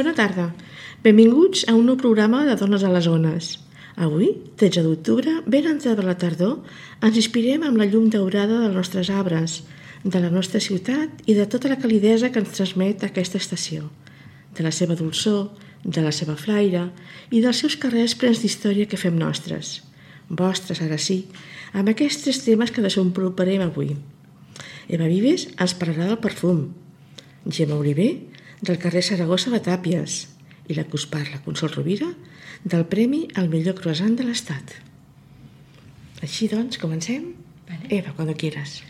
Bona tarda. Benvinguts a un nou programa de Dones a les Ones. Avui, 13 d'octubre, ben entrada la tardor, ens inspirem amb la llum daurada dels nostres arbres, de la nostra ciutat i de tota la calidesa que ens transmet aquesta estació, de la seva dolçor, de la seva flaire i dels seus carrers plens d'història que fem nostres. Vostres, ara sí, amb aquests tres temes que desenvoluparem avui. Eva Vives ens parlarà del perfum, Gemma Oliver, del carrer Saragossa de Tàpies, i la que us parla, Consol Rovira, del Premi al millor croissant de l'Estat. Així doncs, comencem? Vale. Eva, cuando quieras.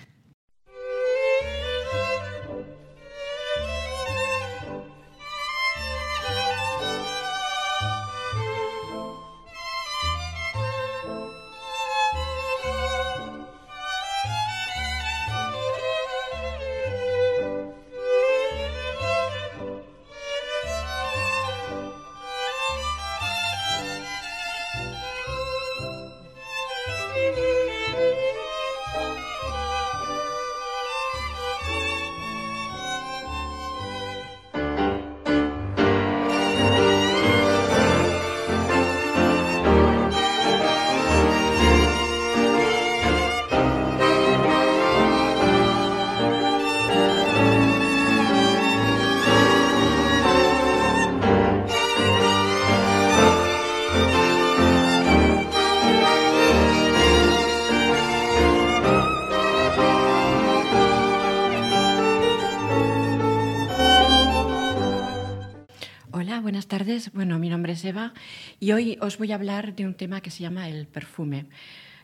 Buenas tardes. Bueno, mi nombre es Eva y hoy os voy a hablar de un tema que se llama el perfume.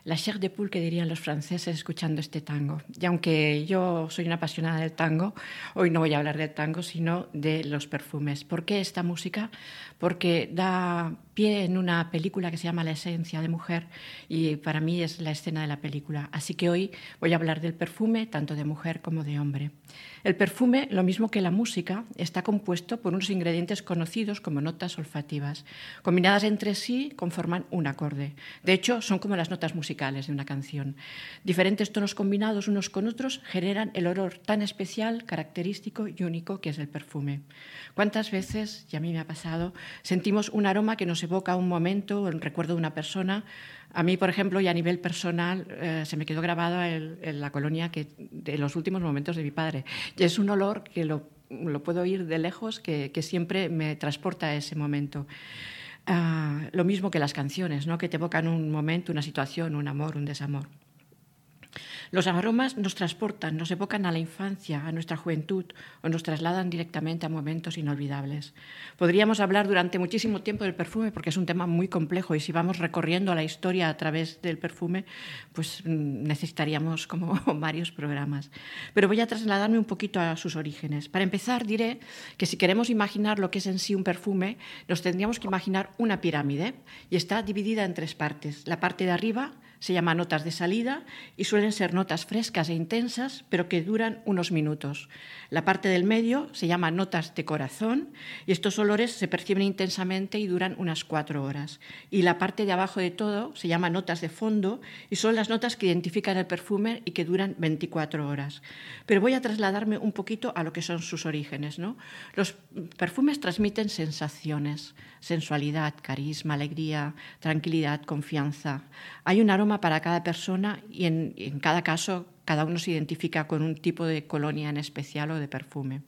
La chair de poule que dirían los franceses escuchando este tango. Y aunque yo soy una apasionada del tango, hoy no voy a hablar del tango, sino de los perfumes. ¿Por qué esta música? Porque da pie en una película que se llama La esencia de mujer y para mí es la escena de la película. Así que hoy voy a hablar del perfume, tanto de mujer como de hombre. El perfume, lo mismo que la música, está compuesto por unos ingredientes conocidos como notas olfativas. Combinadas entre sí conforman un acorde. De hecho, son como las notas musicales de una canción. Diferentes tonos combinados unos con otros generan el olor tan especial, característico y único que es el perfume. ¿Cuántas veces, y a mí me ha pasado, sentimos un aroma que nos evoca un momento, un recuerdo de una persona? A mí, por ejemplo, y a nivel personal, se me quedó grabado en la colonia de los últimos momentos de mi padre. Y es un olor que lo puedo oír de lejos, que siempre me transporta a ese momento. Lo mismo que las canciones, ¿no? Que te evocan un momento, una situación, un amor, un desamor. Los aromas nos transportan, nos evocan a la infancia, a nuestra juventud o nos trasladan directamente a momentos inolvidables. Podríamos hablar durante muchísimo tiempo del perfume porque es un tema muy complejo y si vamos recorriendo la historia a través del perfume, pues necesitaríamos como varios programas. Pero voy a trasladarme un poquito a sus orígenes. Para empezar, diré que si queremos imaginar lo que es en sí un perfume, nos tendríamos que imaginar una pirámide y está dividida en tres partes. La parte de arriba se llama notas de salida y suelen ser notas frescas e intensas, pero que duran unos minutos. La parte del medio se llama notas de corazón y estos olores se perciben intensamente y duran unas 4 horas. Y la parte de abajo de todo se llama notas de fondo y son las notas que identifican el perfume y que duran 24 horas. Pero voy a trasladarme un poquito a lo que son sus orígenes, ¿no? Los perfumes transmiten sensaciones, sensualidad, carisma, alegría, tranquilidad, confianza. Hay un aroma para cada persona y en cada caso cada uno se identifica con un tipo de colonia en especial o de perfume.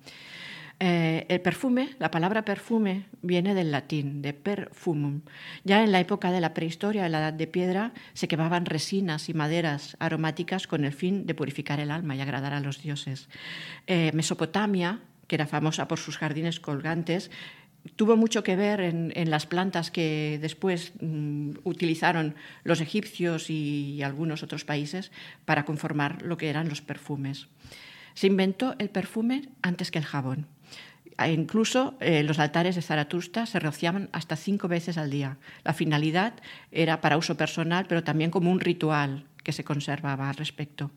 El perfume, la palabra perfume, viene del latín, de perfumum. Ya en la época de la prehistoria, en la Edad de Piedra, se quemaban resinas y maderas aromáticas con el fin de purificar el alma y agradar a los dioses. Mesopotamia, que era famosa por sus jardines colgantes, tuvo mucho que ver en las plantas que después utilizaron los egipcios y algunos otros países para conformar lo que eran los perfumes. Se inventó el perfume antes que el jabón. Incluso los altares de Zaratustra se rociaban hasta 5 veces al día. La finalidad era para uso personal, pero también como un ritual que se conservaba al respecto.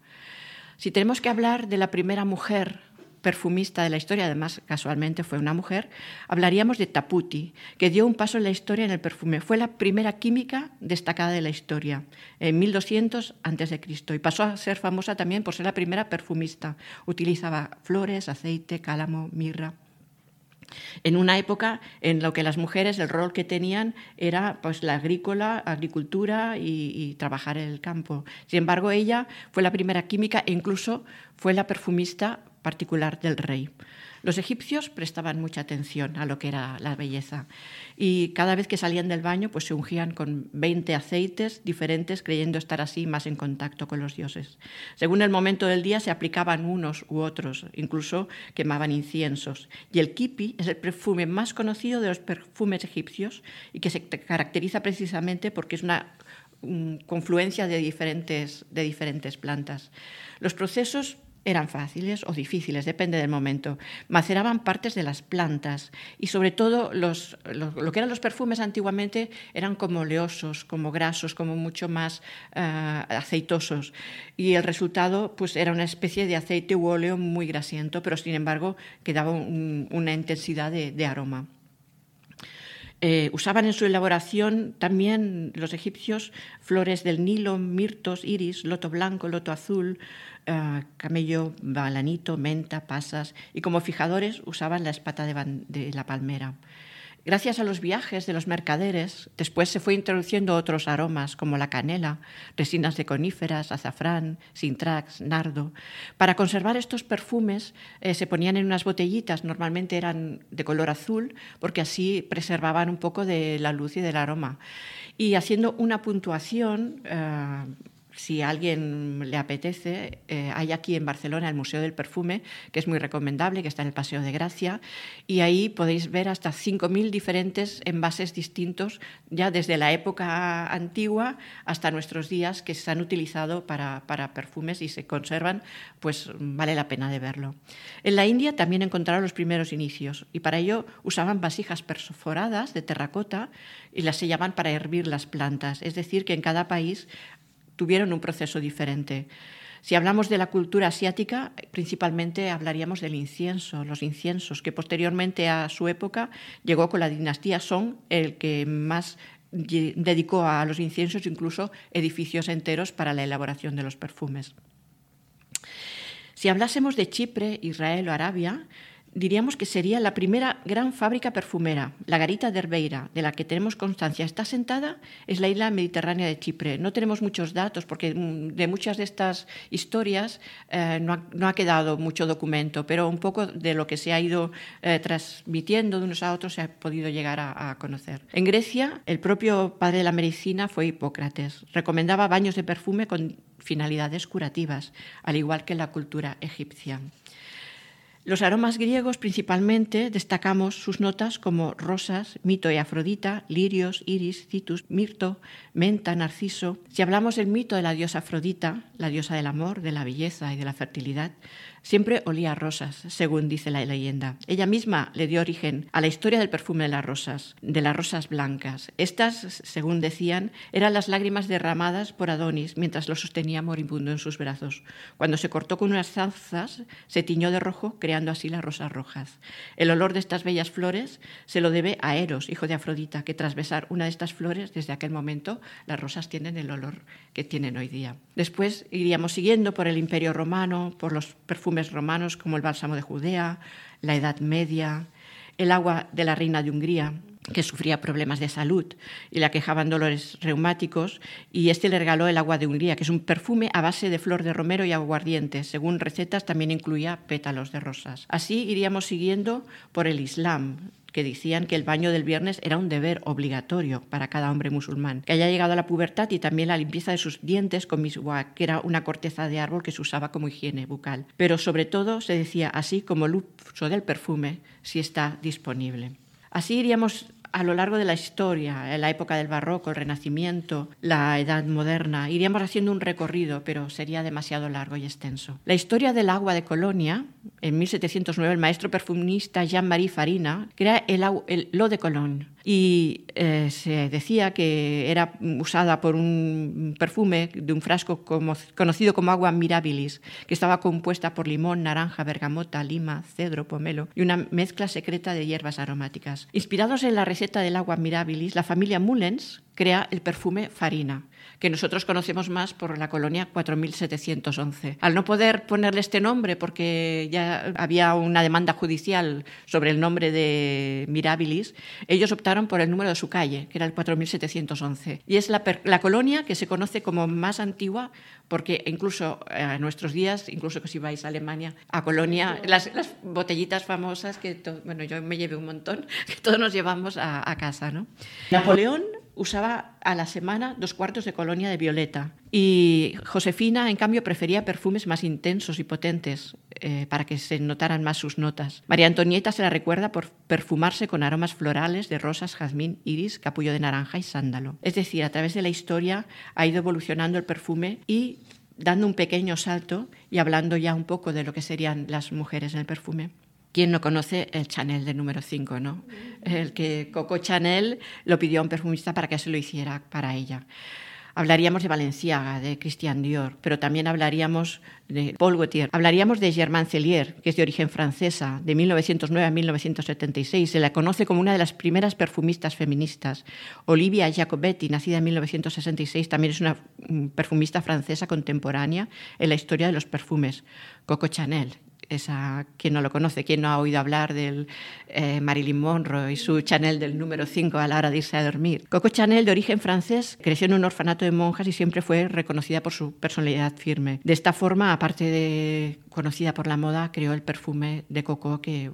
Si tenemos que hablar de la primera mujer perfumista de la historia, además casualmente fue una mujer, hablaríamos de Taputi, que dio un paso en la historia en el perfume. Fue la primera química destacada de la historia, en 1200 a.C., y pasó a ser famosa también por ser la primera perfumista. Utilizaba flores, aceite, cálamo, mirra. en una época en la que las mujeres, el rol que tenían era pues, la agricultura y trabajar en el campo. Sin embargo, ella fue la primera química e incluso fue la perfumista particular del rey. Los egipcios prestaban mucha atención a lo que era la belleza y cada vez que salían del baño pues se ungían con 20 aceites diferentes, creyendo estar así más en contacto con los dioses. Según el momento del día se aplicaban unos u otros, incluso quemaban inciensos. Y el kipi es el perfume más conocido de los perfumes egipcios y que se caracteriza precisamente porque es una confluencia de diferentes plantas. Los procesos eran fáciles o difíciles, depende del momento. Maceraban partes de las plantas y sobre todo lo que eran los perfumes antiguamente eran como oleosos, como grasos, como mucho más aceitosos. Y el resultado pues, era una especie de aceite u óleo muy grasiento, pero sin embargo quedaba una intensidad de aroma. Usaban en su elaboración también los egipcios flores del Nilo, mirtos, iris, loto blanco, loto azul, camello, balanito, menta, pasas, y como fijadores usaban la espata de la palmera. Gracias a los viajes de los mercaderes, después se fue introduciendo otros aromas como la canela, resinas de coníferas, azafrán, sintrax, nardo. Para conservar estos perfumes se ponían en unas botellitas, normalmente eran de color azul, porque así preservaban un poco de la luz y del aroma. Y haciendo una puntuación, si a alguien le apetece, hay aquí en Barcelona el Museo del Perfume, que es muy recomendable, que está en el Paseo de Gracia, y ahí podéis ver hasta 5.000 diferentes envases distintos, ya desde la época antigua hasta nuestros días, que se han utilizado para perfumes y se conservan, pues vale la pena de verlo. En la India también encontraron los primeros inicios, y para ello usaban vasijas perforadas de terracota y las sellaban para hervir las plantas, es decir, que en cada país tuvieron un proceso diferente. Si hablamos de la cultura asiática, principalmente hablaríamos del incienso, los inciensos, que posteriormente a su época llegó con la dinastía Song, el que más dedicó a los inciensos incluso edificios enteros para la elaboración de los perfumes. Si hablásemos de Chipre, Israel o Arabia, diríamos que sería la primera gran fábrica perfumera. La garita de Herbeira, de la que tenemos constancia, está asentada, es la isla mediterránea de Chipre. No tenemos muchos datos porque de muchas de estas historias no ha quedado mucho documento, pero un poco de lo que se ha ido transmitiendo de unos a otros se ha podido llegar a conocer. En Grecia, el propio padre de la medicina fue Hipócrates. Recomendaba baños de perfume con finalidades curativas, al igual que en la cultura egipcia. Los aromas griegos principalmente destacamos sus notas como rosas, mito y afrodita, lirios, iris, citus, mirto, menta, narciso. Si hablamos del mito de la diosa Afrodita, la diosa del amor, de la belleza y de la fertilidad, siempre olía a rosas, según dice la leyenda. Ella misma le dio origen a la historia del perfume de las rosas blancas. Estas, según decían, eran las lágrimas derramadas por Adonis mientras lo sostenía moribundo en sus brazos. Cuando se cortó con unas zarzas, se tiñó de rojo, creando así las rosas rojas. El olor de estas bellas flores se lo debe a Eros, hijo de Afrodita, que tras besar una de estas flores, desde aquel momento, las rosas tienen el olor que tienen hoy día. Después iríamos siguiendo por el Imperio Romano, por los perfumes romanos como el bálsamo de Judea, la Edad Media, el agua de la reina de Hungría, que sufría problemas de salud y le aquejaban dolores reumáticos, y le regaló el agua de Hungría, que es un perfume a base de flor de romero y aguardiente. Según recetas también incluía pétalos de rosas. Así iríamos siguiendo por el Islam, que decían que el baño del viernes era un deber obligatorio para cada hombre musulmán, que haya llegado a la pubertad, y también la limpieza de sus dientes con miswak, que era una corteza de árbol que se usaba como higiene bucal. Pero sobre todo se decía así como el uso del perfume si está disponible. Así iríamos a lo largo de la historia, en la época del Barroco, el Renacimiento, la Edad Moderna. Iríamos haciendo un recorrido, pero sería demasiado largo y extenso. La historia del agua de Colonia, en 1709, el maestro perfumista Jean-Marie Farina crea el L'Eau de Cologne, y se decía que era usada por un perfume de un frasco conocido como agua mirabilis, que estaba compuesta por limón, naranja, bergamota, lima, cedro, pomelo y una mezcla secreta de hierbas aromáticas. Inspirados en la receta del agua mirabilis, la familia Mullens crea el perfume Farina, que nosotros conocemos más por la colonia 4711. Al no poder ponerle este nombre porque ya había una demanda judicial sobre el nombre de Mirabilis, ellos optaron por el número de su calle, que era el 4711. Y es la colonia que se conoce como más antigua porque incluso a nuestros días, incluso que si vais a Alemania, a Colonia, las botellitas famosas que yo me llevé un montón, que todos nos llevamos a casa, ¿no? Napoleón usaba a la semana 2 cuartos de colonia de violeta y Josefina, en cambio, prefería perfumes más intensos y potentes para que se notaran más sus notas. María Antonieta se la recuerda por perfumarse con aromas florales de rosas, jazmín, iris, capullo de naranja y sándalo. Es decir, a través de la historia ha ido evolucionando el perfume y dando un pequeño salto y hablando ya un poco de lo que serían las mujeres en el perfume. ¿Quién no conoce el Chanel del número 5, ¿no? El que Coco Chanel lo pidió a un perfumista para que se lo hiciera para ella. Hablaríamos de Balenciaga, de Christian Dior, pero también hablaríamos de Paul Gaultier. Hablaríamos de Germaine Cellier, que es de origen francesa, de 1909 a 1976. Se la conoce como una de las primeras perfumistas feministas. Olivia Jacobetti, nacida en 1966, también es una perfumista francesa contemporánea en la historia de los perfumes. Coco Chanel. Esa, ¿quién no lo conoce? ¿Quién no ha oído hablar del Marilyn Monroe y su Chanel del número 5 a la hora de irse a dormir? Coco Chanel, de origen francés, creció en un orfanato de monjas y siempre fue reconocida por su personalidad firme. De esta forma, aparte de conocida por la moda, creó el perfume de Coco que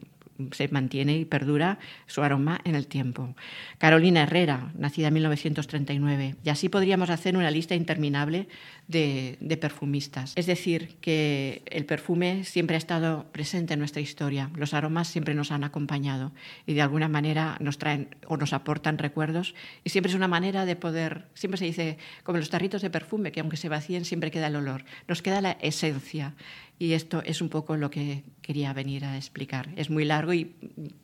se mantiene y perdura su aroma en el tiempo. Carolina Herrera, nacida en 1939. Y así podríamos hacer una lista interminable de perfumistas. Es decir, que el perfume siempre ha estado presente en nuestra historia. Los aromas siempre nos han acompañado y de alguna manera nos traen o nos aportan recuerdos. Y siempre es una manera de poder, siempre se dice, como los tarritos de perfume, que aunque se vacíen siempre queda el olor. Nos queda la esencia. Y esto es un poco lo que quería venir a explicar. Es muy largo y,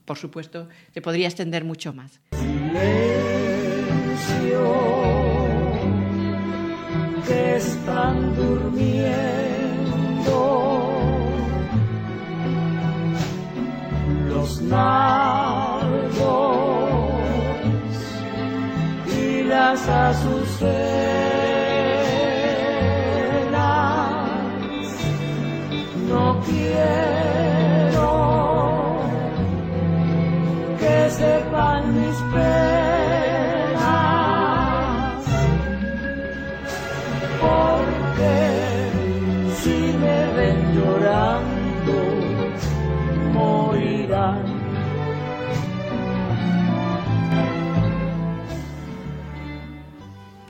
por supuesto, se podría extender mucho más. Silencio, que están durmiendo los nardos y las azucenas. No quiero que sepan mis penas, porque si me ven llorando, morirán.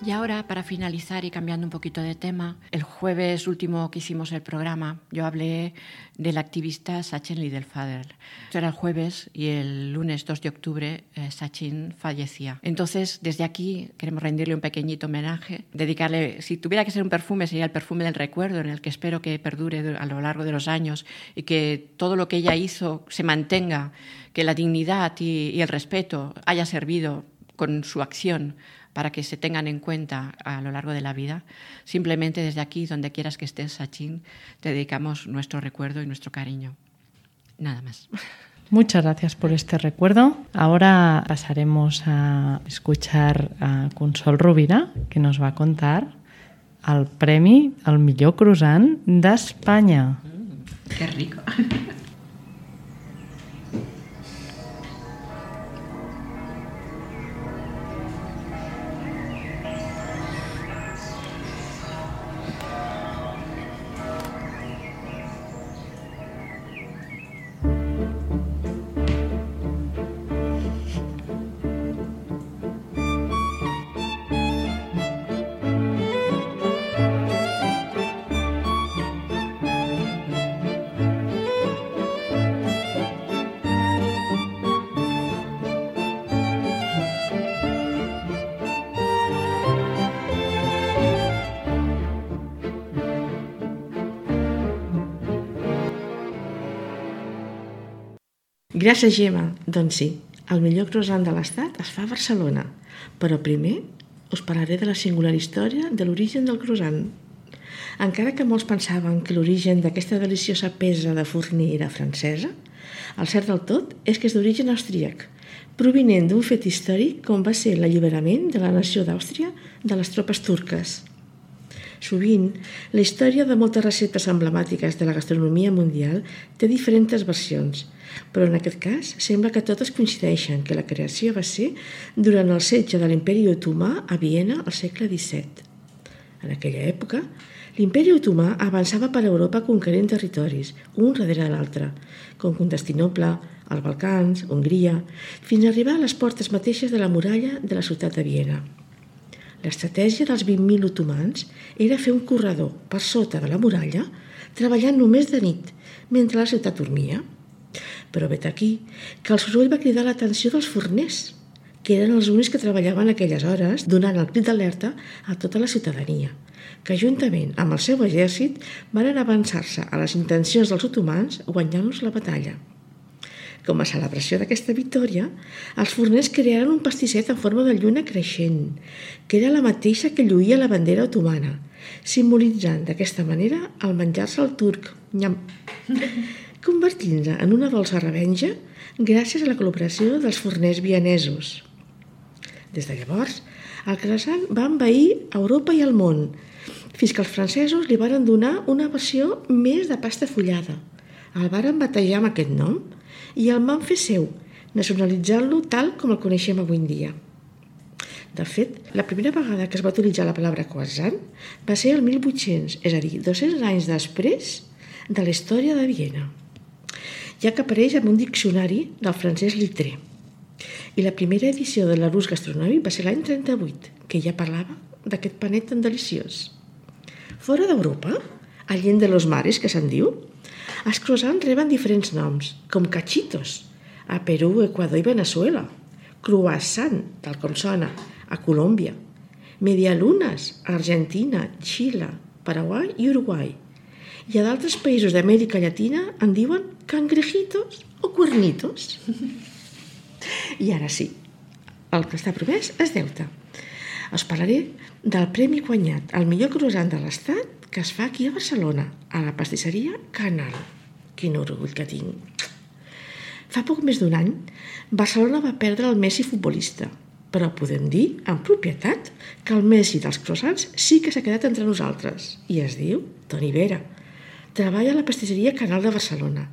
Y ahora, para finalizar y cambiando un poquito de tema, el jueves último que hicimos el programa, yo hablé del activista Sachin Liddell-Fader. Esto era el jueves y el lunes 2 de octubre Sachin fallecía. Entonces, desde aquí queremos rendirle un pequeñito homenaje, dedicarle, si tuviera que ser un perfume, sería el perfume del recuerdo, en el que espero que perdure a lo largo de los años y que todo lo que ella hizo se mantenga, que la dignidad y el respeto haya servido con su acción para que se tengan en cuenta a lo largo de la vida. Simplemente desde aquí, donde quieras que estés, Sachin, te dedicamos nuestro recuerdo y nuestro cariño. Nada más. Muchas gracias por este recuerdo. Ahora pasaremos a escuchar a Consol Rovira, que nos va a contar el premi al millor croissant d'Espanya. ¡Qué rico! Gràcies, Gemma. Doncs sí, el millor croissant de l'Estat es fa a Barcelona. Però primer us parlaré de la singular història de l'origen del croissant. Encara que molts pensaven que l'origen d'aquesta deliciosa peça de forner era francesa, el cert del tot és que és d'origen austríac provinent d'un fet històric com va ser l'alliberament de la nació d'Àustria de les tropes turques. Sovint, la història de moltes receptes emblemàtiques de la gastronomia mundial té diferents versions, però en aquest cas sembla que totes coincideixen que la creació va ser durant el setge de l'Imperi Otomà a Viena al segle XVII. En aquella època, l'Imperi Otomà avançava per Europa conquerint territoris, un darrere l'altre, com Constantinoble, els Balcans, Hongria, fins a arribar a les portes mateixes de la muralla de la ciutat de Viena. L'estratègia dels 20.000 otomans era fer un corredor per sota de la muralla, treballant només de nit, mentre la ciutat dormia. Però vet aquí que el soroll va cridar l'atenció dels forners, que eren els únics que treballaven aquelles hores, donant el crit d'alerta a tota la ciutadania, que juntament amb el seu exèrcit van avançar-se a les intencions dels otomans guanyant-los la batalla. Com a celebració d'aquesta victòria, els forners crearen un pastisset en forma de lluna creixent, que era la mateixa que lluïa la bandera otomana, simbolitzant d'aquesta manera el menjar-se al turc, nyam, convertint-se en una dolça revenja gràcies a la col·laboració dels forners vienesos. Des de llavors, el croissant va envair Europa i el món, fins que els francesos li varen donar una versió més de pasta fullada. El varen batejar amb aquest nom i el van fer seu, nacionalitzant-lo tal com el coneixem avui en dia. De fet, la primera vegada que es va utilitzar la paraula croissant va ser el 1800, és a dir, 200 anys després de la història de Viena, ja que apareix en un diccionari del francès Littré. I la primera edició de l'Arús gastronòmic va ser l'any 38, que ja parlava d'aquest panet tan deliciós. Fora d'Europa, a Allende de los Mares, que se'n diu, els croissants reben diferents noms, com cachitos, a Perú, Equador i Venezuela, croissant, tal com sona, a Colòmbia, medialunes, a Argentina, Xile, Paraguai i Uruguai. I a d'altres països d'Amèrica Llatina en diuen cangrejitos o cuernitos. I ara sí, el que està promès és deute. Us parlaré del premi guanyat al millor croissant de l'Estat que es fa aquí a Barcelona, a la pastisseria Canal. Quin orgull que tinc! Fa poc més d'un any, Barcelona va perdre el Messi futbolista, però podem dir, amb propietat, que el Messi dels croissants sí que s'ha quedat entre nosaltres, i es diu Toni Vera. Treballa a la pastisseria Canal de Barcelona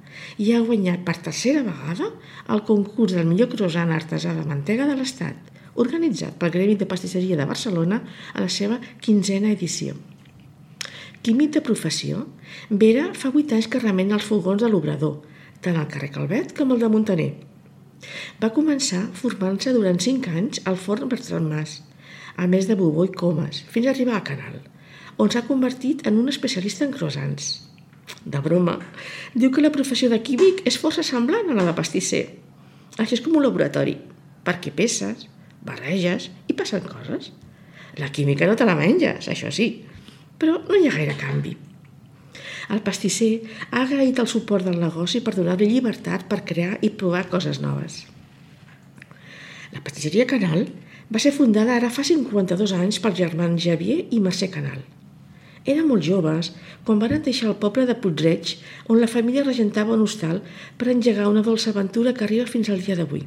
i ha guanyat per tercera vegada el concurs del millor croissant artesà de mantega de l'Estat, organitzat pel Gremi de Pastisseria de Barcelona a la seva 15a edició. Químic de professió, Vera fa 8 anys que remena els fogons de l'Obrador, tant al carrer Calvet com el de Montaner. Va començar formant-se durant 5 anys al forn Bertran Mas, a més de Bubó i Comas, fins a arribar a Canal, on s'ha convertit en un especialista en croissants. De broma, diu que la professió de químic és força semblant a la de pastisser. Això és com un laboratori, perquè peses, barreges i passen coses. La química no te la menges, això sí, però no hi ha gaire canvi. El pastisser ha agraït el suport del negoci per donar-li llibertat per crear i provar coses noves. La pastisseria Canal va ser fundada ara fa 52 anys pels germans Xavier i Mercè Canal. Eren molt joves quan van deixar el poble de Puig-reig, on la família regentava un hostal per engegar una dolça aventura que arriba fins al dia d'avui.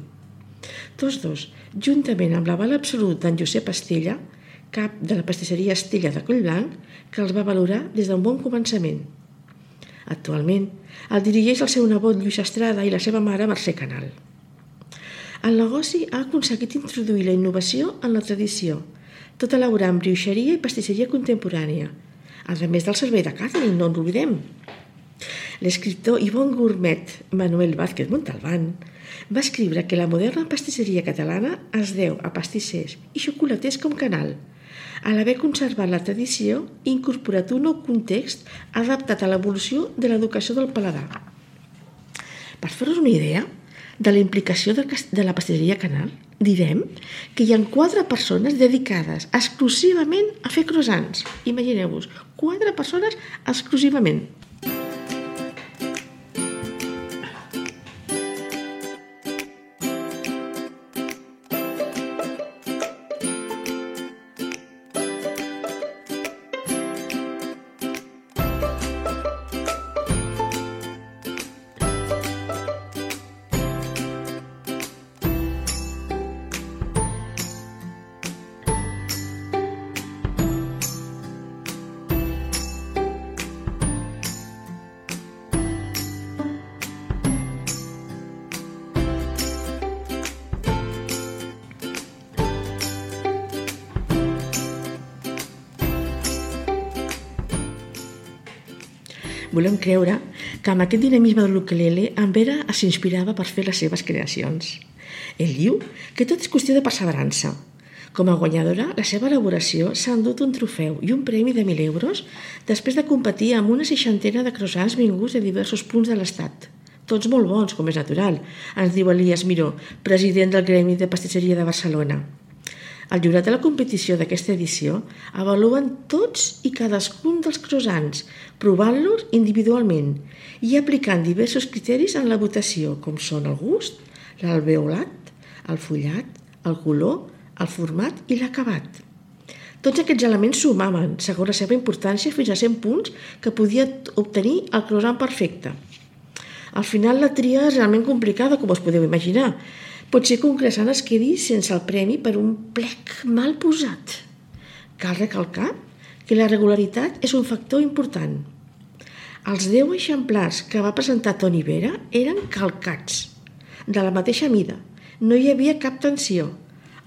Tots dos, juntament amb l'aval absolut d'en Josep Estella, cap de la pastisseria Estella de Collblanc, que els va valorar des d'un bon començament. Actualment, el dirigeix el seu nebot Lluís Estrada i la seva mare Mercè Canal. El negoci ha aconseguit introduir la innovació en la tradició, tot elaborant brioixeria i pastisseria contemporània, a més del servei de catering, no ens oblidem. L'escriptor i bon gourmet Manuel Vázquez Montalbán va escriure que la moderna pastisseria catalana es deu a pastissers i xocolaters com Canal, a l'haver conservat la tradició i incorporat un nou context adaptat a l'evolució de l'educació del paladar. Per fer-vos una idea de la implicació de la pastisseria Canal, direm que hi ha 4 persones dedicades exclusivament a fer croissants. Imagineu-vos, 4 persones exclusivament. Volem creure que amb aquest dinamisme de l'ukelele en Vera s'inspirava per fer les seves creacions. Ell diu que tot és qüestió de perseverança. Com a guanyadora, la seva elaboració s'ha endut un trofeu i un premi de 1.000 euros després de competir amb una 60ena de croissants vinguts de diversos punts de l'estat. Tots molt bons, com és natural, ens diu Elias Miró, president del Gremi de Pastisseria de Barcelona. El jurat de la competició d'aquesta edició avaluen tots i cadascun dels croissants, provant-los individualment i aplicant diversos criteris en la votació, com són el gust, l'alveolat, el fullat, el color, el format i l'acabat. Tots aquests elements sumaven, segons la seva importància, fins a 100 punts que podia obtenir el croissant perfecte. Al final la tria és realment complicada, com us podeu imaginar. Pot ser que un croissant es quedi sense el premi per un plec mal posat. Cal recalcar que la regularitat és un factor important. Els 10 exemplars que va presentar Toni Vera eren calcats, de la mateixa mida. No hi havia cap tensió.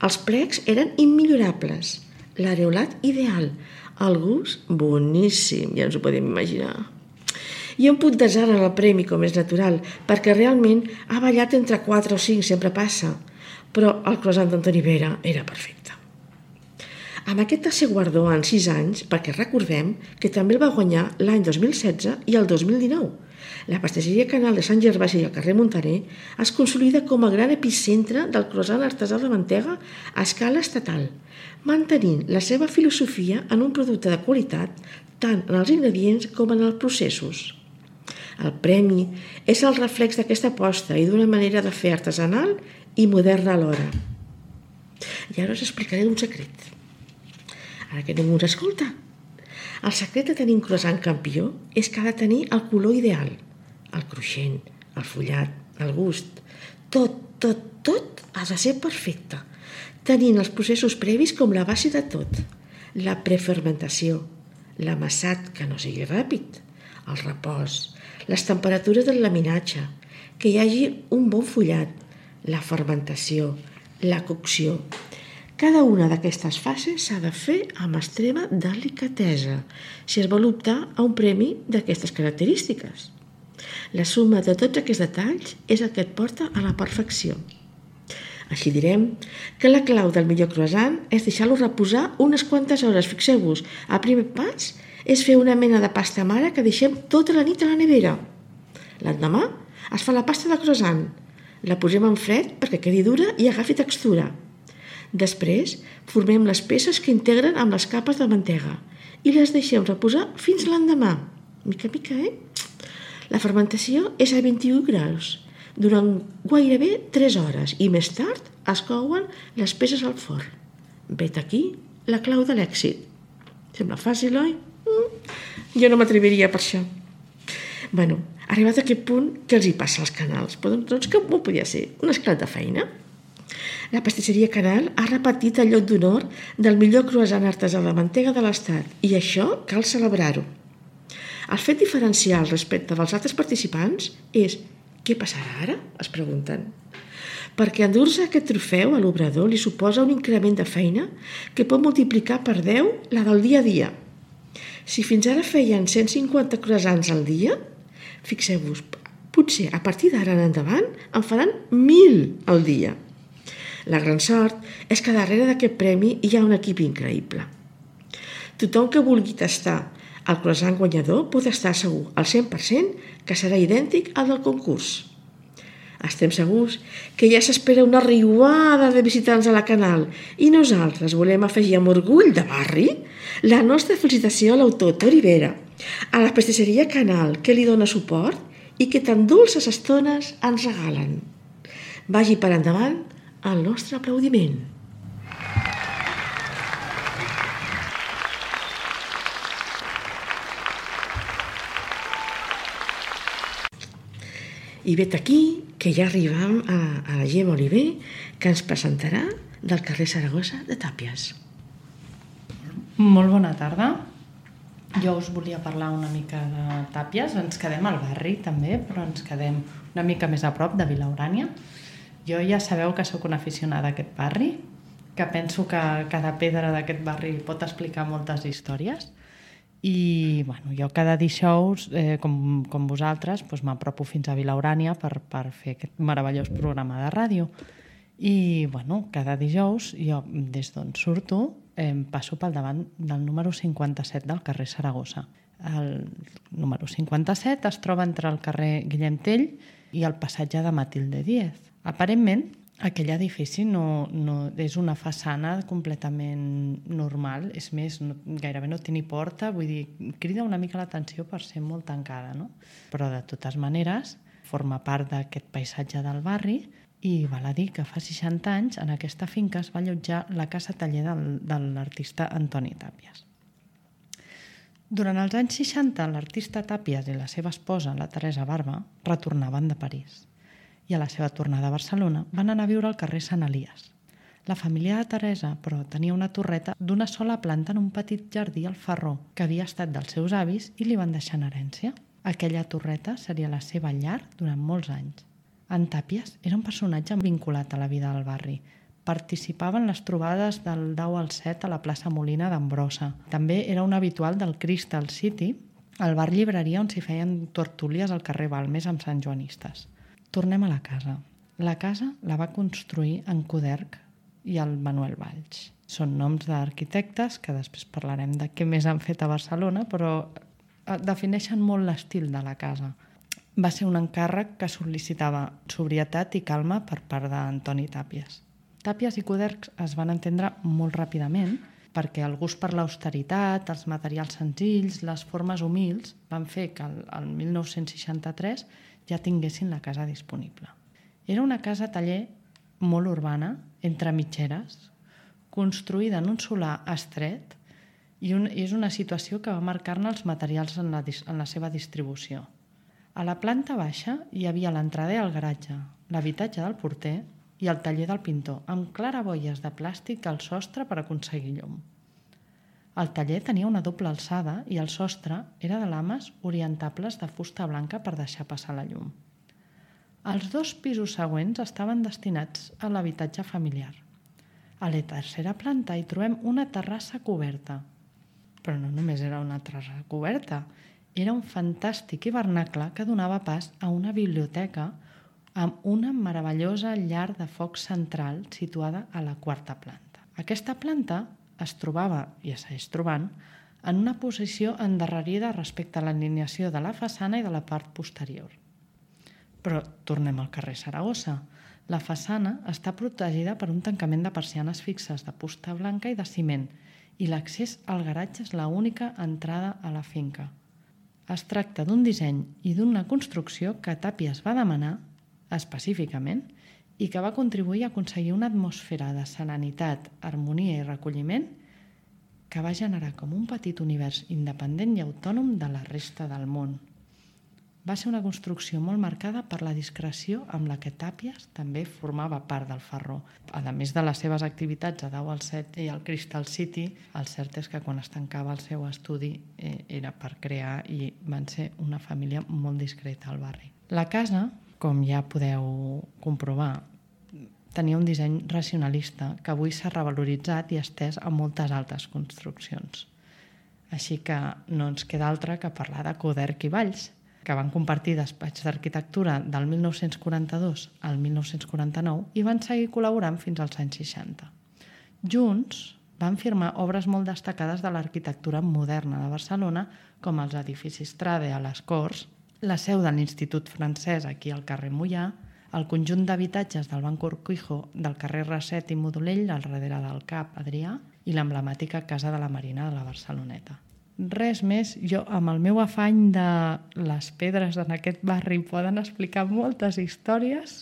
Els plecs eren immillorables. L'areolat ideal. El gust boníssim, ja ens ho podem imaginar. I un punt d'azar en el premi, com és natural, perquè realment ha ballat entre 4 o 5, sempre passa. Però el croissant d'Antoni Vera era perfecte. Amb aquest tercer guardó en 6 anys, perquè recordem que també el va guanyar l'any 2016 i el 2019. La pastisseria Canal de Sant Gervasi i al carrer Montaner es consolida com a gran epicentre del croissant artesà de mantega a escala estatal, mantenint la seva filosofia en un producte de qualitat tant en els ingredients com en els processos. El premi és el reflex d'aquesta aposta i d'una manera de fer artesanal i moderna alhora. I ara us explicaré un secret. Ara que ningú ens escolta. El secret de tenir un croissant campió és que ha de tenir el color ideal. El cruixent, el fullat, el gust. Tot ha de ser perfecte, tenint els processos previs com la base de tot. La prefermentació, l'amassat que no sigui ràpid, el repòs, les temperatures del laminatge, que hi hagi un bon fullat, la fermentació, la cocció. Cada una d'aquestes fases s'ha de fer amb extrema delicadesa si es vol optar a un premi d'aquestes característiques. La suma de tots aquests detalls és el que et porta a la perfecció. Així direm que la clau del millor croissant és deixar-lo reposar unes quantes hores. Fixeu-vos, el primer pas és fer una mena de pasta mare que deixem tota la nit a la nevera. L'endemà es fa la pasta de croissant. La posem en fred perquè quedi dura i agafi textura. Després formem les peces que integren amb les capes de mantega i les deixem reposar fins l'endemà. Mica a mica, La fermentació és a 21 graus durant gairebé 3 hores i més tard es couen les peces al forn. Vet aquí la clau de l'èxit. Sembla fàcil, oi? Jo no m'atreviria per això. Arribat a aquest punt, què els hi passa als canals? Doncs que ho podia ser? Un esclat de feina. La pastisseria Canal ha repetit el lloc d'honor del millor croissant artesà de mantega de l'Estat i això cal celebrar-ho. El fet diferencial respecte dels altres participants és què passarà ara? Es pregunten. Perquè endur-se aquest trofeu a l'obrador li suposa un increment de feina que pot multiplicar per 10 la del dia a dia. Si fins ara feien 150 croissants al dia, fixeu-vos, potser a partir d'ara en endavant en faran 1.000 al dia. La gran sort és que darrere d'aquest premi hi ha un equip increïble. Tothom que vulgui tastar el croissant guanyador pot estar segur al 100% que serà idèntic al del concurs. Estem segurs que ja s'espera una riuada de visitants a la Canal i nosaltres volem afegir amb orgull de barri la nostra felicitació a l'autor Toni Vera, a la pastisseria Canal que li dona suport i que tan dolces estones ens regalen. Vagi per endavant el nostre aplaudiment. I vet aquí que ja arribam a la Gemma Oliver, que ens presentarà del carrer Saragossa de Tàpies. Molt bona tarda. Jo us volia parlar una mica de Tàpies. Ens quedem al barri també, però ens quedem una mica més a prop de Vilaurània. Jo ja sabeu que sóc una aficionada a aquest barri, que penso que cada pedra d'aquest barri pot explicar moltes històries. I bueno, jo cada dijous, com vosaltres, doncs m'apropo fins a Vilaurània per fer aquest meravellós programa de ràdio. I bueno, cada dijous jo, des d'on surto, passo pel davant del número 57 del carrer Saragossa. El número 57 es troba entre el carrer Guillem Tell i el passatge de Matilde Díez. Aparentment, aquell edifici no és una façana completament normal, és més, gairebé no té ni porta, vull dir, crida una mica l'atenció per ser molt tancada, no? Però de totes maneres forma part d'aquest paisatge del barri i val a dir que fa 60 anys en aquesta finca es va allotjar la casa taller de l'artista Antoni Tàpies. Durant els anys 60, l'artista Tàpies i la seva esposa, la Teresa Barba, retornaven de París. I a la seva tornada a Barcelona van anar a viure al carrer Sant Elies. La família de Teresa, però, tenia una torreta d'una sola planta en un petit jardí al Farró, que havia estat dels seus avis i li van deixar en herència. Aquella torreta seria la seva llar durant molts anys. En Tàpies era un personatge vinculat a la vida del barri. Participava en les trobades del 10 al 7 a la plaça Molina d'Ambrosa. També era un habitual del Crystal City, el bar llibreria on s'hi feien tertúlies al carrer Balmes amb santjoanistes. Tornem a la casa. La casa la va construir en Coderch i el Manuel Valls. Són noms d'arquitectes que després parlarem de què més han fet a Barcelona, però defineixen molt l'estil de la casa. Va ser un encàrrec que sol·licitava sobrietat i calma per part d'Antoni Tàpies. Tàpies i Coderch es van entendre molt ràpidament perquè el gust per l'austeritat, els materials senzills, les formes humils van fer que el 1963 ja tinguessin la casa disponible. Era una casa taller molt urbana, entre mitgeres, construïda en un solar estret i és una situació que va marcar-ne els materials en la seva distribució. A la planta baixa hi havia l'entrada i el garatge, l'habitatge del porter i el taller del pintor, amb claraboies de plàstic al sostre per aconseguir llum. El taller tenia una doble alçada i el sostre era de lames orientables de fusta blanca per deixar passar la llum. Els 2 pisos següents estaven destinats a l'habitatge familiar. A la tercera planta hi trobem una terrassa coberta. Però no només era una terrassa coberta, era un fantàstic hivernacle que donava pas a una biblioteca amb una meravellosa llar de foc central situada a la 4a planta. Aquesta planta es trobava, i es segueix trobant, en una posició endarrerida respecte a l'alineació de la façana i de la part posterior. Però tornem al carrer Saragossa. La façana està protegida per un tancament de persianes fixes de fusta blanca i de ciment i l'accés al garatge és l'única entrada a la finca. Es tracta d'un disseny i d'una construcció que Tàpies va demanar específicament i que va contribuir a aconseguir una atmosfera de serenitat, harmonia i recolliment que va generar com un petit univers independent i autònom de la resta del món. Va ser una construcció molt marcada per la discreció amb la que Tàpies també formava part del Farró. A més de les seves activitats a 10 al 7 i al Crystal City, el cert és que quan es tancava el seu estudi era per crear i van ser una família molt discreta al barri. La casa, com ja podeu comprovar, tenia un disseny racionalista que avui s'ha revaloritzat i estès a moltes altres construccions. Així que no ens queda altre que parlar de Coderch i Valls, que van compartir despatx d'arquitectura del 1942 al 1949 i van seguir col·laborant fins als anys 60. Junts van firmar obres molt destacades de l'arquitectura moderna de Barcelona, com els edificis Trade a les Corts, la seu de l'Institut Francès aquí al carrer Moià, el conjunt d'habitatges del Banc Urquijo del carrer Raset i Modolell al darrere del CAP Adrià i l'emblemàtica Casa de la Marina de la Barceloneta. Res més, jo amb el meu afany de les pedres en aquest barri poden explicar moltes històries.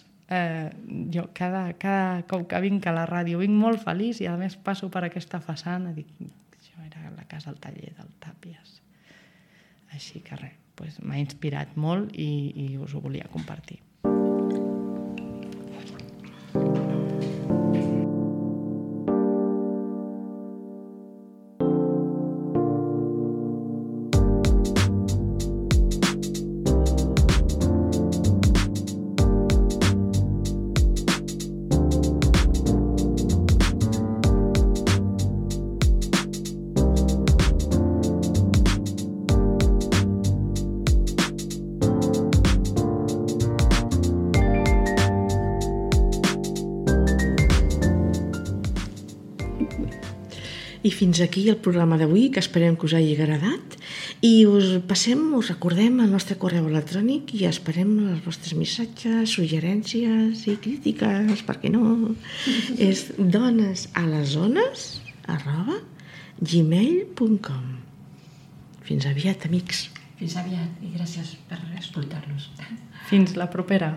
Jo cada cop que vinc a la ràdio vinc molt feliç i a més passo per aquesta façana i dic, això era la casa al taller del Tàpies. Així que res, doncs m'ha inspirat molt i us ho volia compartir. I fins aquí el programa d'avui, que esperem que us hagi agradat. I us recordem el nostre correu electrònic i esperem els vostres missatges, suggerències i crítiques, per què no? És donesalesones@gmail.com. Fins aviat, amics. Fins aviat i gràcies per escoltar-nos. Fins la propera.